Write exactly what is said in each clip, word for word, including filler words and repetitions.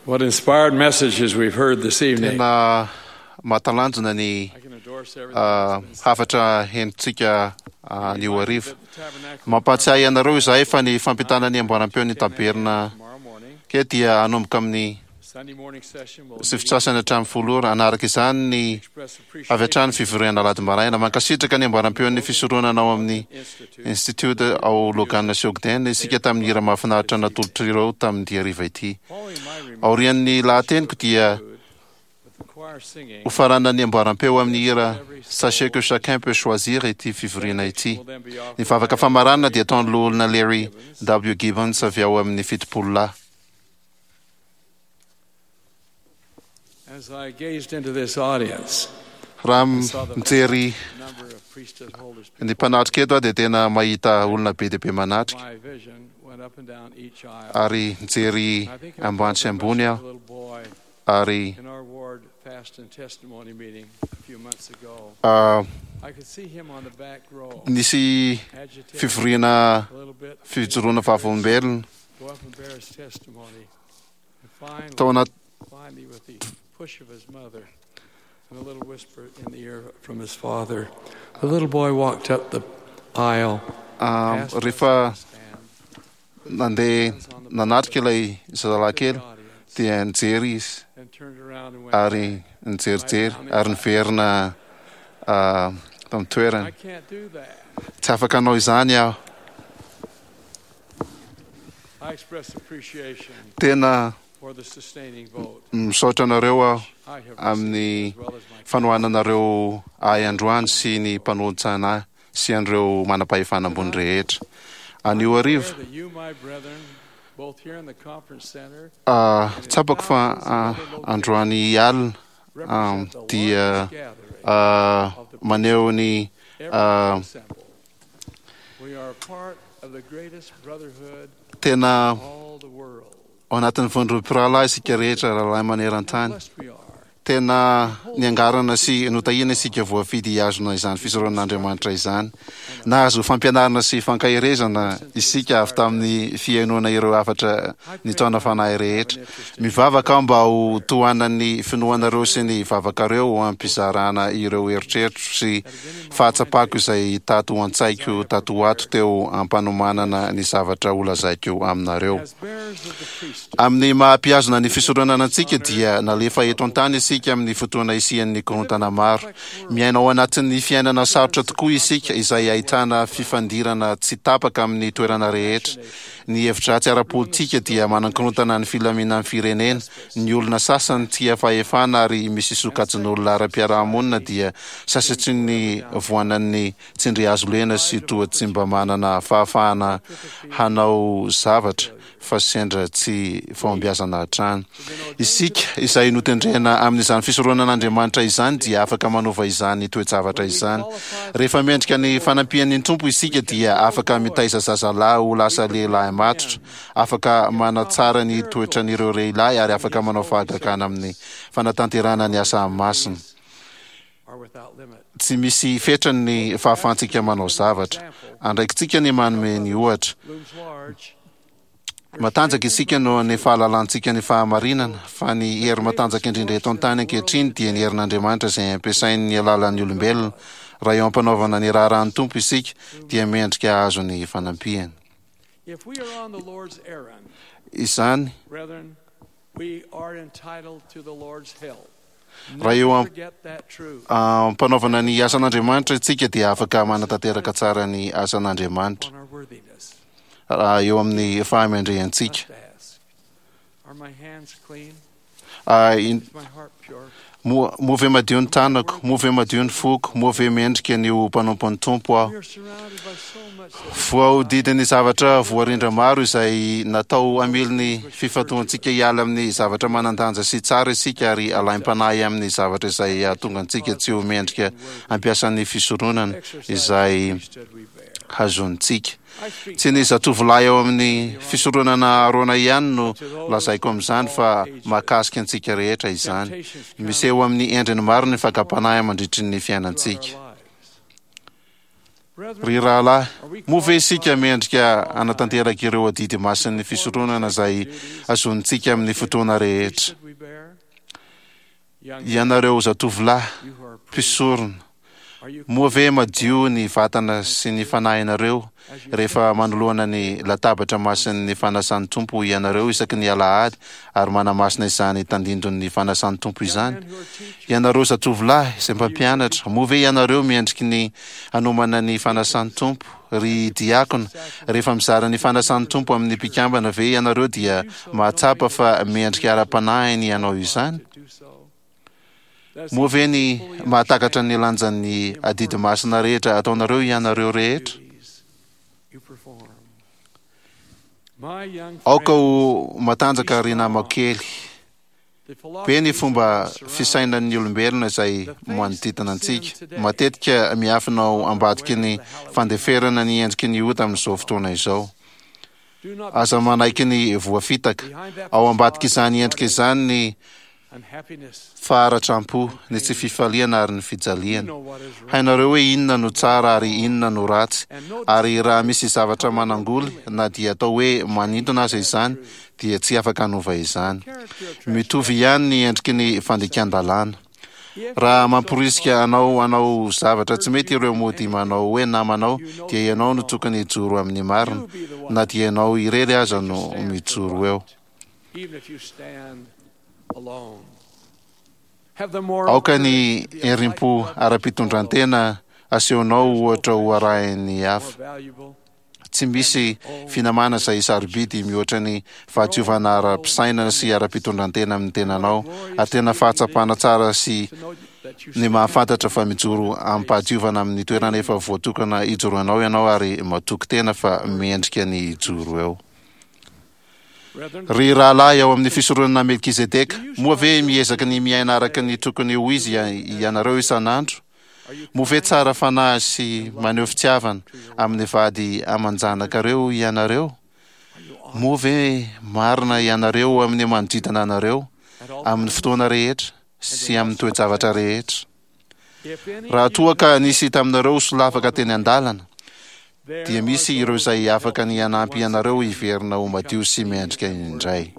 What inspired messages we've heard this evening. Tena mahatalanjona ny I can endorse everything ah, that's been said. hafatra henontsika anio hariva. At the tabernacle Mampahatsiahy anareo izahay fa ny fampitana ny amboaram-peo ny taberna tomorrow morning, ke dia hanomboka amin'ny Sunday morning session will sivy sasany hatramin'ny folo ora. Hanaraka izany ny express avy hatrany appreciation fivoriana alahady maraina. Mankasitraka ny amboaram-peon'ny fisoronana ao amin'ny Institute Institute ao Logan sy Ogden isika tamin'ny hira mahafinaritra natolotr'ireo tamin'ity hariva ity. Following my remarks Aorian'ny lahateniko dia with the choir singing, hofaranan'ny amboaram-peo amin'ny hira Sachez que chacun peut choisir ity fivoriana ity. will then be offered Ny vavaka famaranana dia ataon'ny loholona Larry W. Gibbons avy ao amin'ny fitopolo lahy. As I gazed into this audience, Raha mijery number of priesthood holders, ny mpanatrika eto aho dia tena mahita olona be dia be manatrika my vision went up and down each aisle. ary mijery I think I ambany sy ambony a aho little boy ary in our ward fast and testimony meeting a few months ago. ah, I could see him on the back row, nisy agitated fivoriana a little bit. fijoroana vavolombelona Go up and bear his testimony. And finally, tao anaty finally, with the push of his mother and a little whisper in the ear from his father, the little boy walked up the aisle. ah, past us rehefa on the stand, nandeha hands on the nanatrika ilay zazalahy to the kely audience, dia nijery izy and turned around and went ary nijerijery ary niverina ah, tamin'ny toerany. I can't do that. Tsy afaka hanao izany aho. I express appreciation Tena for the sustaining vote misaotra anareo aho I have amin'ny received, as well as my fanohananareo ahy androany sy ny mpanolotsaina ahy sy an'ireo manam-pahefana ambony rehetra. Anio hariva, prayer that you, my brethren, both here in the conference center, ah, tsapako fa ah, androany alina ah, represent the dia largest gathering ah, maneho ny ever ah, assembled. We are part of the greatest brotherhood tena in all the world. ao anatin'ny vondrom-pirahalahy isika rehetra rahalahy How maneran-tany. blessed we are. Tena niangarana sy notahiana isika voafidy hihazona izany fisoronan'Andriamanitra izany. Nahazo fampianarana sy fankaherezana isika avy tamin'ny fihainoana ireo hafatra nitaona fanahy rehetra. Mivavaka aho mba ho tohanan'ny finoanareo sy ny vavakareo ho ampizarana ireo eritreritro sy fahatsapako izay tato an-tsaiko tato ho ato teo ampanomanana ny zavatra holazaiko aminareo. As bearers of the priesthood, Amin'ny maha-mpihazona ny fisoronana antsika dia nalefa eto an-tany isika amin'ny fotoana isian'ny korontana maro. Miaina ao anatin'ny fiainana sarotra tokoa isika izay ahitana fifandirana tsy tapaka amin'ny toerana rehetra. Ny hevi-dratsy ara-politika dia manankorontana ny filaminan'ny firenena. Ny olona sasany tia fahefana ary misy sokajin'olona ara-piarahamonina dia sasatry ny voanan'ny tsindrihazo lena sy toa tsy mba manana fahafahana hanao zavatra fa sendra tsy fahombiazana hatrany. Isika izay notendrena amin'izany fisoronan'Andriamanitra izany dia afaka manova izany toe-javatra izany. Rehefa mendrika ny fanampian'ny Tompo isika dia afaka mitaiza zazalahy ho lasa lehilahy matotra, afaka manatsara ny toetran'ireo lehilahy ary afaka manao fahagagana amin'ny fanatanterahana ny asa masina. are without limit. Tsy misy fetrany ny fahafahantsika manao zavatra. Andraikitsika ny manome ny ohatra. Looms large. Matanjaka isika noho ny fahalalantsika ny fahamarinana, fa ny hery matanjaka indrindra eto an-tany ankehitriny dia ny herin'Andriamanitra izay ampiasain'ny alalan'ny olombelona. Raha eo am-panaovana ny raharahan'ny Tompo isika dia mendrika hahazo ny fanampiany. If we are on the Lord's errand, Izany brethren, we are entitled to the Lord's help. Raha eo Never am- forget that truth. am-panaovana ny asan'Andriamanitra isika dia afaka manatanteraka tsara ny asan'Andriamanitra on our worthiness. raha eo amin'ny fahamendrehantsika. Must ask, are my hands clean? Ah, in- Is my heart pure? Moa moa ve madio ny tanako, moa ve madio ny foko, moa ve mendrika ny ho mpanompon'ny Tompo aho. We are surrounded by so much that is Voahodidin'ny zavatra voarindra maro izay natao hamily ny fifantohantsika hiala amin'ny zavatra manan-danja sy tsara isika ary alaim-panahy amin'ny zavatra izay hahatonga antsika tsy ho mendrika hampiasan'ny fisoronana exercise izay the priesthood we bear. hazonintsika. I speak Tsy ny zatovolahy ao amin'ny fisoronana Arona ihany no lazaiko amin'izany fa mahakasika antsika rehetra izany. temptations come Miseho amin'ny endriny maro ny fakam-panahy mandritry ny throughout fiainantsika. our lives. Ry rahalahy, moa ve isika mendrika hanatanteraka ireo adidy masin'ny fisoronana izay azonintsika amin'ny fotoana rehetra? Ianareo zatovolahy mpisorona, moa ve madio ny vatana sy ny fanahinareo rehefa manoloana ny latabatra masin'ny fanasan'ny Tompo ianareo isaky ny alahady ary manamasina izany tandindon'ny fanasan'ny Tompo izany? Ianareo zatovolahy izay mpampianatra, moa ve ianareo mendriky ny hanomana ny fanasan'ny Tompo? Ry diakona, rehefa mizara ny fanasan'ny Tompo amin'ny mpikambana ve ianareo dia mahatsapa fa mendrika ara-panahy ny hanao izany? Moa ve ny mahatakatra ny lanjan'ny adidy masina rehetra ataonareo ianareo rehetra? Aoka ho matanjaka ry namako kely. Be ny fomba fisainan'ny olombelona izay manodidina antsika. Matetika miafina ao ambadiky ny fandeferana ny endriky ny ota amin'izao fotoana izao. Aza manaiky ny voafitaka. Ao ambadik'izany endrika izany ny faharatram-po, ny tsy fifaliana ary ny fijaliana. Hainareo hoe inona no tsara ary inona no ratsy, ary raha misy zavatra manangoly na dia atao hoe manintona aza izany, dia tsy afaka hanova izany. Mitovy ihany ny endriky ny fandikan-dalàna. Raha mamporisika anao hanao zavatra tsy mety ireo mody manao hoe namanao, dia ianao no tokony hijoro amin'ny marina, na dia ianao irery aza no mijoro eo. Aoka ny herim-po ara-pitondran-tena asehonao ohatra ho arahin'ny hafa. Tsy misy finamana izay sarobidy mihoatra ny fahadiovana ara-pisainana sy ara-pitondran-tena amin'ny tenanao, ary tena fahatsapana tsara sy ny mahafantatra fa mijoro amim-pahadiovana amin'ny toerana efa voatokana hijoroanao ianao ary matoky tena fa mendrika ny hijoro eo. Ry rahalahy ao amin'ny fisoronana Melkizedeka, moa ve miezaka ny miaina araka ny tokony ho izy ianareo isan'andro? Moa ve tsara fanahy sy maneho fitiavana amin'ny vady aman-janakareo ianareo? Moa ve marina ianareo amin'ny manodidina anareo, amin'ny fotoana rehetra sy amin'ny toe-javatra rehetra? Raha toa ka nisy taminareo solafaka teny an-dalana, dia misy ireo izay afaka ny hanampy anareo hiverina ho madio sy mendrika indray.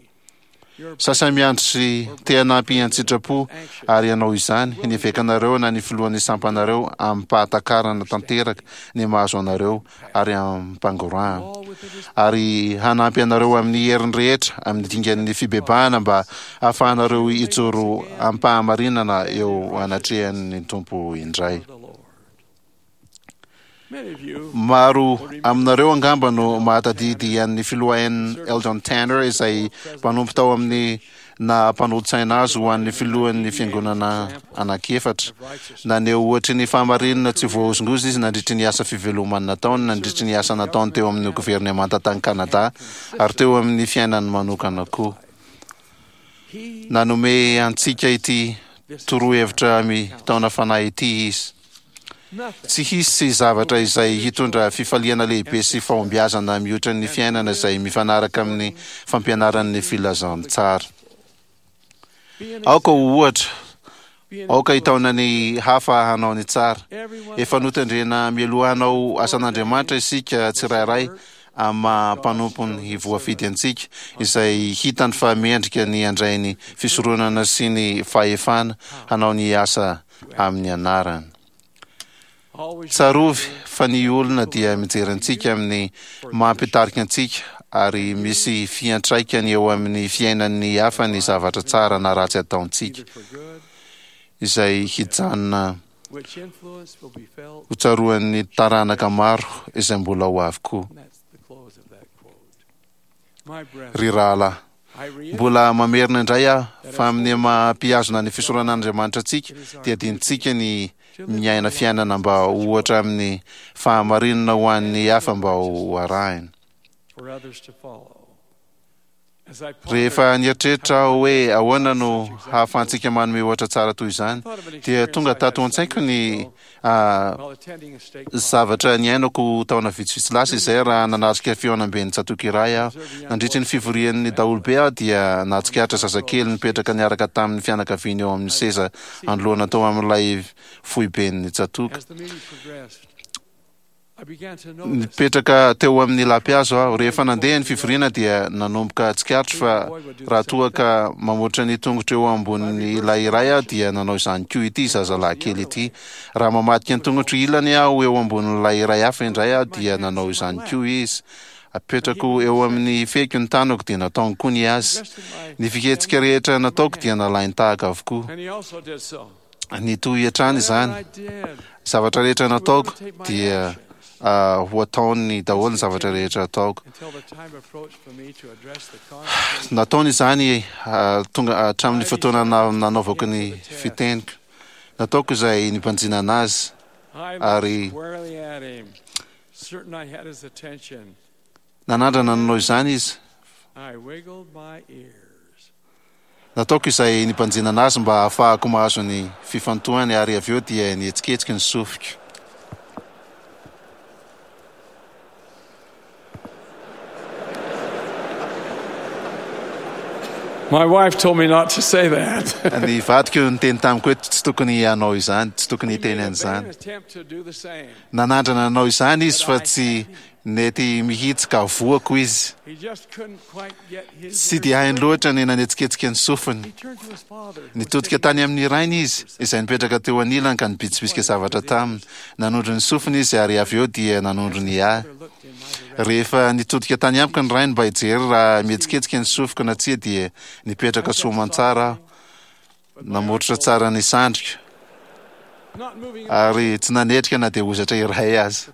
Sasany miandry sy te hanampy an-tsitrapo ary hanao izany ny evekanareo na ny filohan'ny sampanareo amim-pahatakarana tanteraka ny mahazo anareo ary amim-pangorahana, ary hanampy anareo amin'ny heriny rehetra amin'ny dingan'ny fibebahana mba hahafahanareo hijoro amim-pahamarinana eo anatrehan'ny Tompo indray. Maro aminareo angamba no mahatadidy an'ny filoha N. Eldon Tanner izay mpanompo tao amin'ny naha mpanolotsaina azy ho an'ny filohan'ny fiangonana anankiefatra. Naneho ohatry ny fahamarinana tsy voahozongozona izy nandritry ny asa fivelomany nataony nandritry ny asa nataony teo amin'ny governemanta tany Kanada ary teo amin'ny fiainany manokana koa. Nanome antsika ity torohevitra mitaona fanahy ity izy. Tsy hisy zavatra izay hitondra fifaliana lehibe sy fahombiazana mihoatra ny fiainana izay mifanaraka amin'ny fampianaran'ny filazantsara. Aoka ho ohatra, aoka hitaona ny hafa hanao ny tsara. Efa notendrena mialoha hanao asan'Andriamanitra isika tsirairay amin'ny maha mpanompony voafidy antsika, izay hitany fa mendrika ny handray ny fisoronana sy ny fahefana hanao ny asa amin'ny anarany. Tsarovy fa ny olona dia mijery antsika amin'ny maha mpitarika antsika ary misy fiantraikany eo amin'ny fiainan'ny hafa ny zavatra tsara na ratsy ataontsika, izay hijanona ho tsaroan'ny taranaka maro izay mbola ho avy koa. Ry rahalahy, mbola mamerina indray aho fa amin'ny maha mpihazona ny fisoronan'Andriamanitra antsika dia adinontsika ny miaina fiainana mba ho ohatra amin'ny fahamarinana ho an'ny hafa mba ho arahina. Rehefa nieritreritra aho hoe ahoana no hahafahantsika manome ohatra tsara toy izany, dia tonga tato an-tsaiko ny zavatra niainako taona vitsivitsy lasa izay raha nanatrika fihaonamben'ny tsatòka iray aho. Nandritry ny fivorian'ny daholobe aho dia nahatsikaritra zazakely nipetraka niaraka tamin'ny fianakaviany eo amin'ny seza anoloana tao amin'ilay foiben'ny tsatòka. Nipetraka teo amin'ny lapihazo aho. Rehefa nandeha ny fivoriana dia nanomboka tsikaritro fa raha toa ka mamotra ny tongotro eo ambonin'ilay iray aho dia nanao izany koa ity zazalahy kely ity. Raha mamadika ny tongotro ilany aho eo ambonin'ilay iray hafa indray aho dia nanao izany koa izy. Apetrako eo amin'ny fehiko ny tanako dia nataony koa ny azy. Ny fihetsika rehetra nataoko dia nalainy tahaka avokoa. Nitohy hatrany izany. Zavatra rehetra nataoko dia ho ataony daholo ny zavatra rehetra ataoko. Nataony izany tonga hatramin'ny fotoana nanaovako ny fiteniko. Nataoko izay nibanjinana azy ary nanandrana nanao izany izy. Nataoko izay nibanjinana azy mba hahafahako mahazo ny fifantohany ary avy eo dia nihetsiketsika ny sofiko. My wife told me not to say that. Ny vadiko niteny tamiko hoe tsy tokony hanao izany, tsy tokony hiteny an'izany. Nanandrana nanao izany izy fa tsy nety mihitsy ka voako izy. Tsy dia hainy loatra ny nanetsiketsika ny sofiny. Nitodika tany amin'ny rainy izy, izay nipetraka teo anilany ka nibitsibitsika zavatra taminy. Nanondro ny sofiny izy ary avy eo dia nanondro ny ahy. Rehefa nitodika tany amiko ny rainy mba hijery raha mihetsiketsika ny sofiko na tsia dia nipetraka soamantsara aho, namoritra tsara ny sandriko ary tsy nanetrika na dia hozatra iray aza.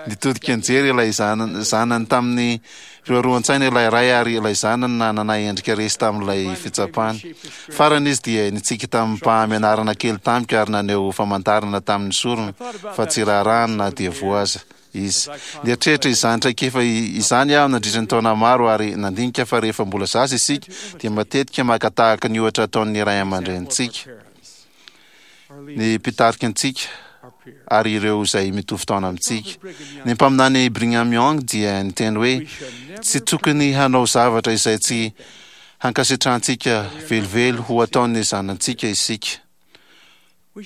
Nitodika nijery ilay zanany tamin'ny firoaroan-tsaina ilay ray ary ilay zanany nanana endrika resy tamin'ilay fitsapana. Farany izy dia nitsiky tamim-pahamenarana kely tamiko ary naneho famantarana tamin'ny sorony fa tsy raharahany na dia voa aza izy. Nieritreritra izany traikefa izany aho nandritra ny taona maro ary nandinika fa rehefa mbola zaza isika dia matetika maka tahaka ny ohatra ataon'ny ray aman-drenintsika, ny mpitarika antsika ary ireo izay mitovy taona amintsika. Ny mpaminany Brigham Young dia niteny hoe tsy tokony hanao zavatra izay tsy hankasitrahantsika velively ho ataon'ny zanantsika isika.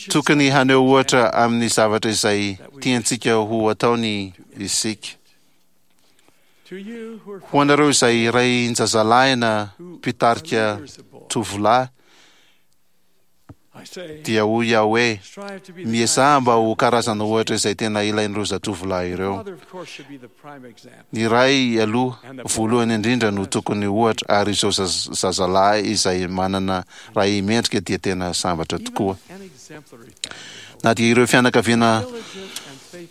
Tokony haneho ohatra amin'ny zavatra izay tiantsika ho ataony isika. Ho anareo izay rain-jazalahy na mpitarika tovolahy dia hoy aho hoe miezaha mba ho karazana ohatra izay tena ilain'ireo zatovolahy ireo. Ny ray aloha voalohany indrindra no tokony ohatra ary izao zazalahy izay manana ray mendrika dia tena sambatra tokoa. Na dia ireo fianakaviana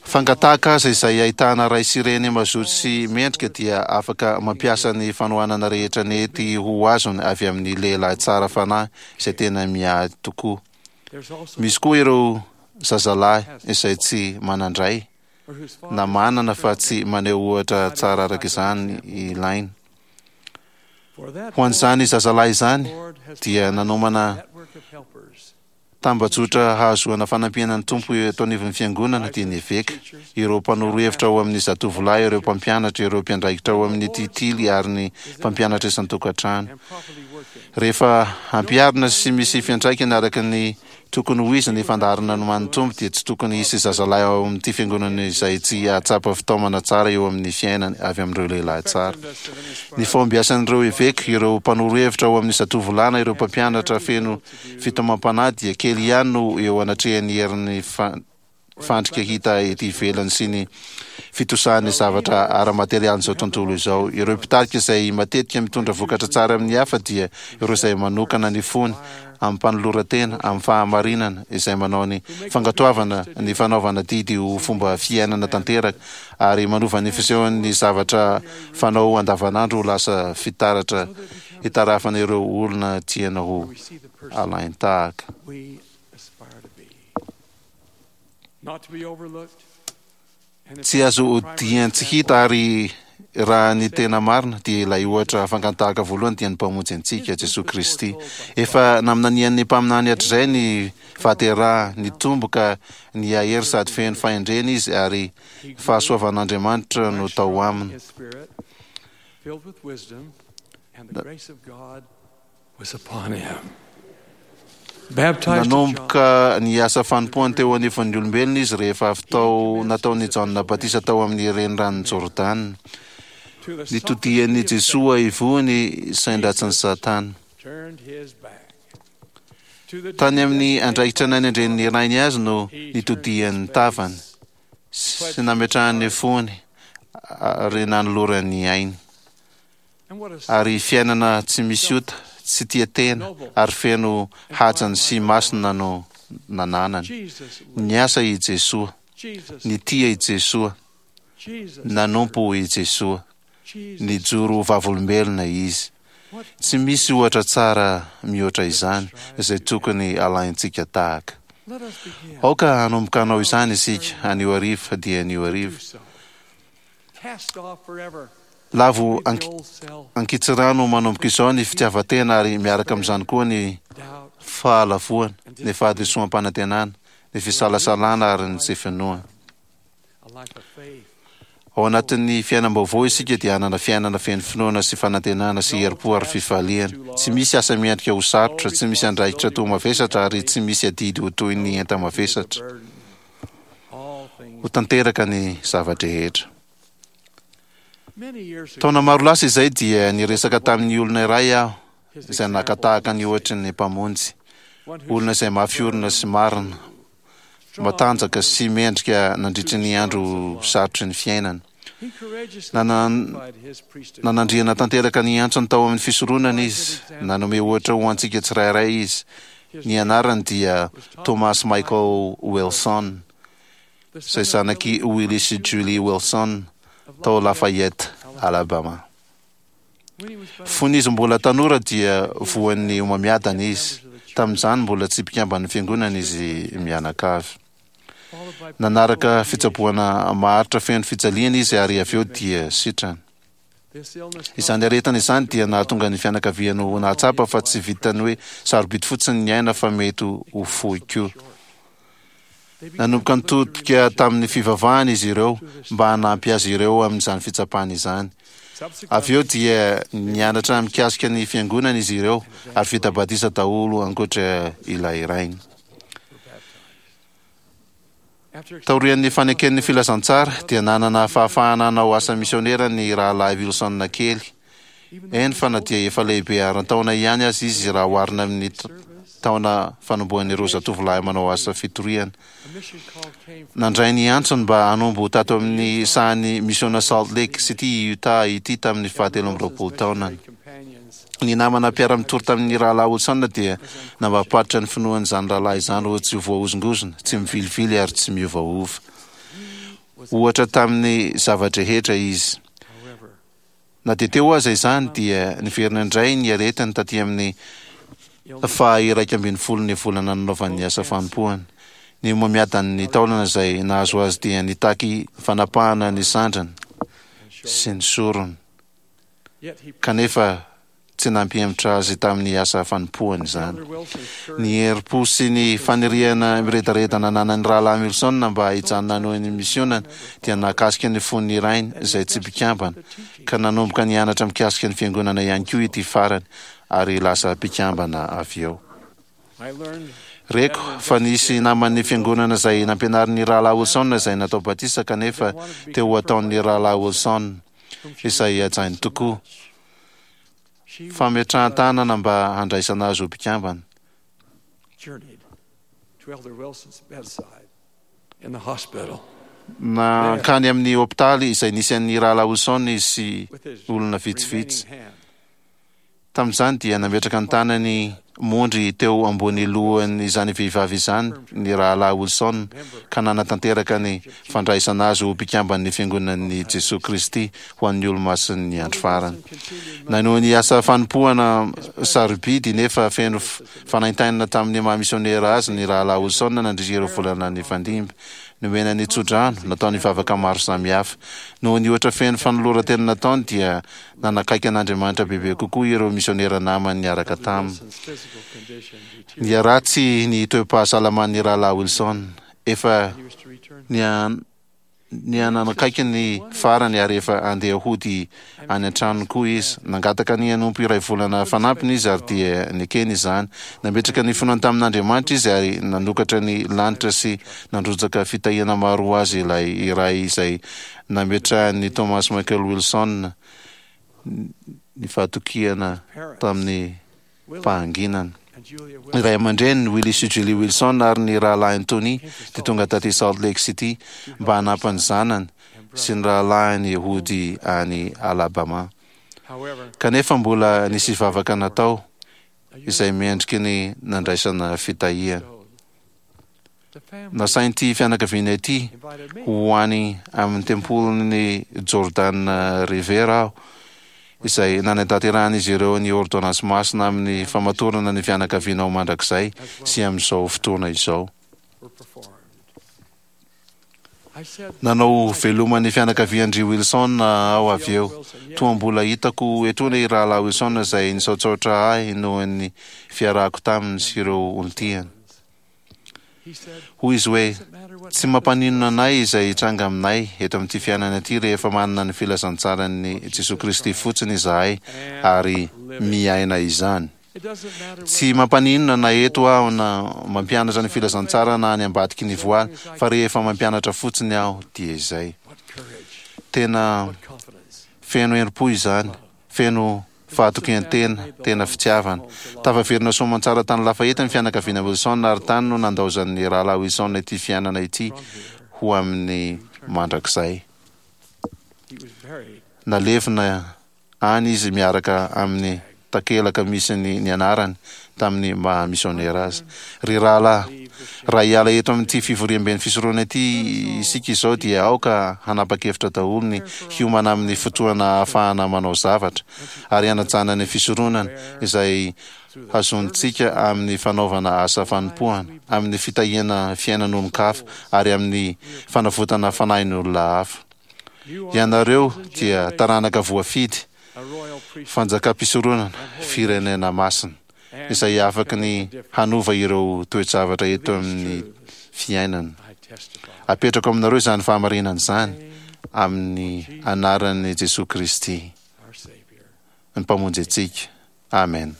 fangataka aza izay ahitana ray sy reny mazoto sy mendrika dia afaka mampiasa ny fanohanana rehetra nety ho azony avy amin'ny lehilahy tsara fanahy izay tena miahy tokoa. Misy koa ireo zazalahy izay tsy manan-dray na manana fa tsy maneho ohatra tsara araka izany ilaina. Ho an'izany zazalahy izany dia nanomana tambajotra hahazoana fanampiana ny Tompo eto anivon'ny fiangonana dia ny eveka, ireo mpanoro hevitra ao amin'ny zatovolahy, ireo mpampianatra, ireo mpiandraikitra ao amin'ny titily ary ny mpampianatra isan-tokantrano. Rehefa ampiharina sy misy fiantraikany araka ny tokony ho izy ny fandaharana nomanin'ny Tompo dia tsy tokony hisy zazalahy ao amin'ity fiangonana izay tsy hahatsapa fitaomana tsara eo amin'ny fiainany avy amin'ireo lehilahy tsara. Ny fahombiasan'ireo eveka, ireo mpanoro hevitra ao amin'ny zatovolana, ireo mpampianatra feno fitaomam-panahy dia kely ihany no eo anatrehan'ny herin'ny fandrika hita ety ivelany sy ny fitosahan'ny zavatra ara-materialin'izao tontolo izao. Ireo mpitarika izay matetika mitondra vokatra tsara amin'ny hafa dia ireo izay manokana ny fony amin'ny mpanoloran-tena, amin'ny fahamarinana, izay manao ny fankatoavana ny fanaovana didy ho fomba fiainana tanteraka ary manova ny fisehon'ny zavatra fanao andavanandro ho lasa fitaratra hitarafana ireo olona tiana ho alain-tahaka. Tsy azo odian-tsy hita ary raha ny tena marina dia ilay ohatra fangan-tahaka voalohany dia ny Mpamonjy antsika, Jesoa Kristy. Efa naminanian'ny mpaminany hatrizay ny fahaterahany, nitombo ka nihahery sady feno fahendrena izy ary fahasoavan'Andriamanitra no tao aminy. Baptized of John, Nanomboka ny asa fanompoany teo anivon'ny olombelona izy rehefa avy tao nataon'i Jaona batisa tao amin'ny reniranon'i Jordana. to the Nitodian'i Jesoa ivoho sain-dratsin'i Satana. turned his back. To the Tany amin'ny andraikitra nanendren'ny rainy azy no nitodian'ny tavany sy nametrahany fony ary nanolorany ainy. And what a Ary fiainana tsy misy ota, tsy tia tena ary feno hajany sy masina no nananany. Jesus, Niasa i Jesoa, Jesus, nitia i Jesoa, Jesus, nanompo i Jesoa, Jesus. nijoro vavolombelona izy. What Tsy misy ohatra tsara mihoatra izany izay tokony alaintsika tahaka. Let us begin. Aoka hanomboka hanao izany isika anio hariva dia anio hariva. Do so. Cast off forever Lavo the ank- old self, ankitsirano manomboka izao ny fitiavan-tena ary miaraka amin'izany koa ny doubt, fahalavoana, ny fahadisoam-panantenana, ny fisalasalana ary ny tsy finoana. a life of faith. Ao anatin'ny fiainam-baovao isika dia hanana fiainana feno finoana sy fanantenana sy herim-po ary fifaliana. Tsy misy asa miendrika ho sarotra, tsy misy andraikitra toa mavesatra ary tsy misy adidy ho toy ny enta-mavesatra. Burden. All things. Ho tanteraka ny zava-drehetra. Many years ago, Taona maro lasa izay dia niresaka tamin'ny olona iray aho his izay naka tahaka ny ohatry ny mpamonjy. one who Olona izay mafy orina sy marina, matanjaka sy mendrika nandritry ny andro sarotry ny fiainana. he courageously Nanan- identified his priesthood. Nanandriana tanteraka ny antsony tao amin'ny fisoronana izy, nanome ohatra ho antsika tsirairay izy. His Ny anarany dia Thomas Michael Wilson, the izay son of zanaky Willie Willis sy Julie Wilson of tao Lafayette, Lafayette, Alabama. When he was but a Fony izy mbola tanora dia voan'ny homamiadana izy. Tamin'izany mbola tsy mpikamban'ny fiangonana izy mianakavy. followed by Nanaraka fitsaboana maharitra feno fijaliana izy ary avy eo dia sitrana. this illness Izany aretina izany dia nahatonga ny fianakaviany ho nahatsapa fa tsy vitany hoe sarobidy fotsiny ny aina fa mety ho fohy koa. They began Nanomboka to look to nitodika religion. tamin'ny fivavahana izy ireo mba hanampy azy ireo amin'izany fitsapana izany. Avy eo dia nianatra mikasika ny fiangonana izy ireo ary vita batisa daholo ankoatra ilay rainy. After Taorian'ny faneken'ny filazantsara dia nanana fahafahana hanao asa misionera ny rahalahy Wilson kely. Eny fa na dia efa lehibe aran-taona ihany azy izy raha oharina amin'ny t- taona fanombohan'ireo zatovolahy manao asa fitoriana. a mission call came from Nandray ny antsony mba hanombo tato amin'ny sahan'ny misiona Salt Lake City, Utah ity tamin'ny fahatelo amby roapolo taonany. companions Ny namana mpiara-mitory tamin'ny rahalahy Wilson dia nampapatra ny finoan'izany rahalahy izany ho tsy voahozongozona, tsy mivilivily ary tsy miovaova. Ohatra tamin'ny zava-drehetra izy. however Na dia teo aza izany dia niverina indray ny aretiny taty amin'ny faha iraika ambin'ny folo ny volana nanaovan'ny asa fanompoana. Ny homamiadan'ny taolana izay nahazo azy dia nitaky fanapahana ny sandriny sy ny sorony. yet he Kanefa tsy nampihemotra azy tamin'ny asa fanompoany izany. Elder Wilson's courage Ny herim-po sy ny faniriana miredareda nananan'ny rahalahy Wilson mba hijanona hanohy ny misionany dia nahakasika ny fon'ny rainy izay tsy mpikambana ka nanomboka nianatra mikasika ny fiangonana ihany koa ity farany ary lasa mpikambana avy eo. I learned Reko fa nisy naman'ny fiangonana izay nampianarin'ny rahalahy Wilson izay natao batisa kanefa teo ho ataon'ny rahalahy Wilson whom she izay hajainy tokoa she fametrahan-tanana mba handraisana azy ho mpikambana. journeyed to Elder Wilson's bedside in the hospital Nankany amin'ny hopitaly izay nisy an'ny rahalahy Wilson izy sy with his olona vitsivitsy. remaining hand. Tamin'izany dia nametraka ny tanany mondry teo ambony lohan'izany vehivavy izany ny rahalahy Wilson ka nanatanteraka ny fandraisana azy ho mpikamban'ny fiangonan'i Jesoa Kristy ho an'ny olomasin'ny andro farany. Nanohy ny asa fanompoana sarobidy nefa feno f- fanaintainana tamin'ny maha misionera azy ny rahalahy Wilson nandritra ireo volana nifandimby. Nomena ny tsodrano, nataony vavaka maro samihafa. Noho ny ohatra feno fanoloran-tena nataony dia nanakaiky an'Andriamanitra bebe kokoa ireo misionera namany niaraka taminy. Wilson's physical condition deteriorated. Niharatsy ny toe-pahasalaman'ny rahalahy Wilson. Efa He was to return nia- Nihananakaiky ny farany ary efa andeha hody any an-tranony koa izy. Nangataka ny hanompo iray volana fanampiny izy ary dia nekeny izany. Nametraka ny finoany tamin'Andriamanitra izy ary nanokatra ny lanitra sy nandrotsaka fitahiana maro ho azy ilay iray izay nametrahan'i Thomas Michael Wilson ny fahatokiana tamin'ny fahanginana. Ny ray aman-dreniny, Willie sy Julie Wilson, ary ny rahalahiny Tony dia tonga taty Salt Lake City mba hanampy ny zanany sy ny rahalahiny hody any Alabama. Kanefa mbola nisy vavaka natao izay mendriky ny nandraisana fitahiana. Nasain'ity fianakaviana ity ho any amin'ny tempolin'i Jordan River aho, izay nanatanterahan'izy ireo ny ôrdônansy masina amin'ny famatorana ny fianakaviana ho mandrakizay sy amin'izao fotoana izao. Nanao veloma ny fianakavian-dry Wilson aho avy eo. Toa mbola hitako etoana i Rahalahy Wilson izay nisaotsaotra ahy noho ny fiarahako taminy sy ireo olon-tiany. Hoy izy hoe, Tsy mampaninona anay izay hitranga aminay eto amin'ity fiainana ity rehefa manana ny filazantsaran'i Jesoa Kristy fotsiny izahay ary miaina izany. Tsy mampaninona na eto aho na mampianatra ny filazantsara na any ambadiky ny voaly, fa rehefa mampianatra fotsiny aho dia izay. Tena feno herim-po izany, feno fahatokian-tena, tena fitiavana. Tafaverina soamantsara tany Lafayette ny fianakaviana Wilson ary tany no nandaozan'ny rahalahy Wilson ity fiainana ity ho amin'ny mandrakizay. Nalevina any izy miaraka amin'ny takelaka misy ny ny anarany tamin'ny maha misionera azy. Ry rahalahy, raha hiala eto amin'ity fivoriamben'ny fisoronana ity isika izao dia aoka hanapa-kevitra daholo ny hiomana amin'ny fotoana ahafahana manao zavatra ary hanajana ny fisoronana izay hazonintsika amin'ny fanaovana asa fanompoana, amin'ny fitahiana fiainan'olon-kafa ary amin'ny fanavotana fanahin'olona hafa. Ianareo dia taranaka voafidy, fanjakam-pisoronana, firenena masina, izay afaky ny hanova ireo toe-javatra eto amin'ny fiainana. Apetrako aminareo izany fahamarinana izany amin'ny anaran'i Jesoa Kristy, ny Mpamonjy antsika. Amen.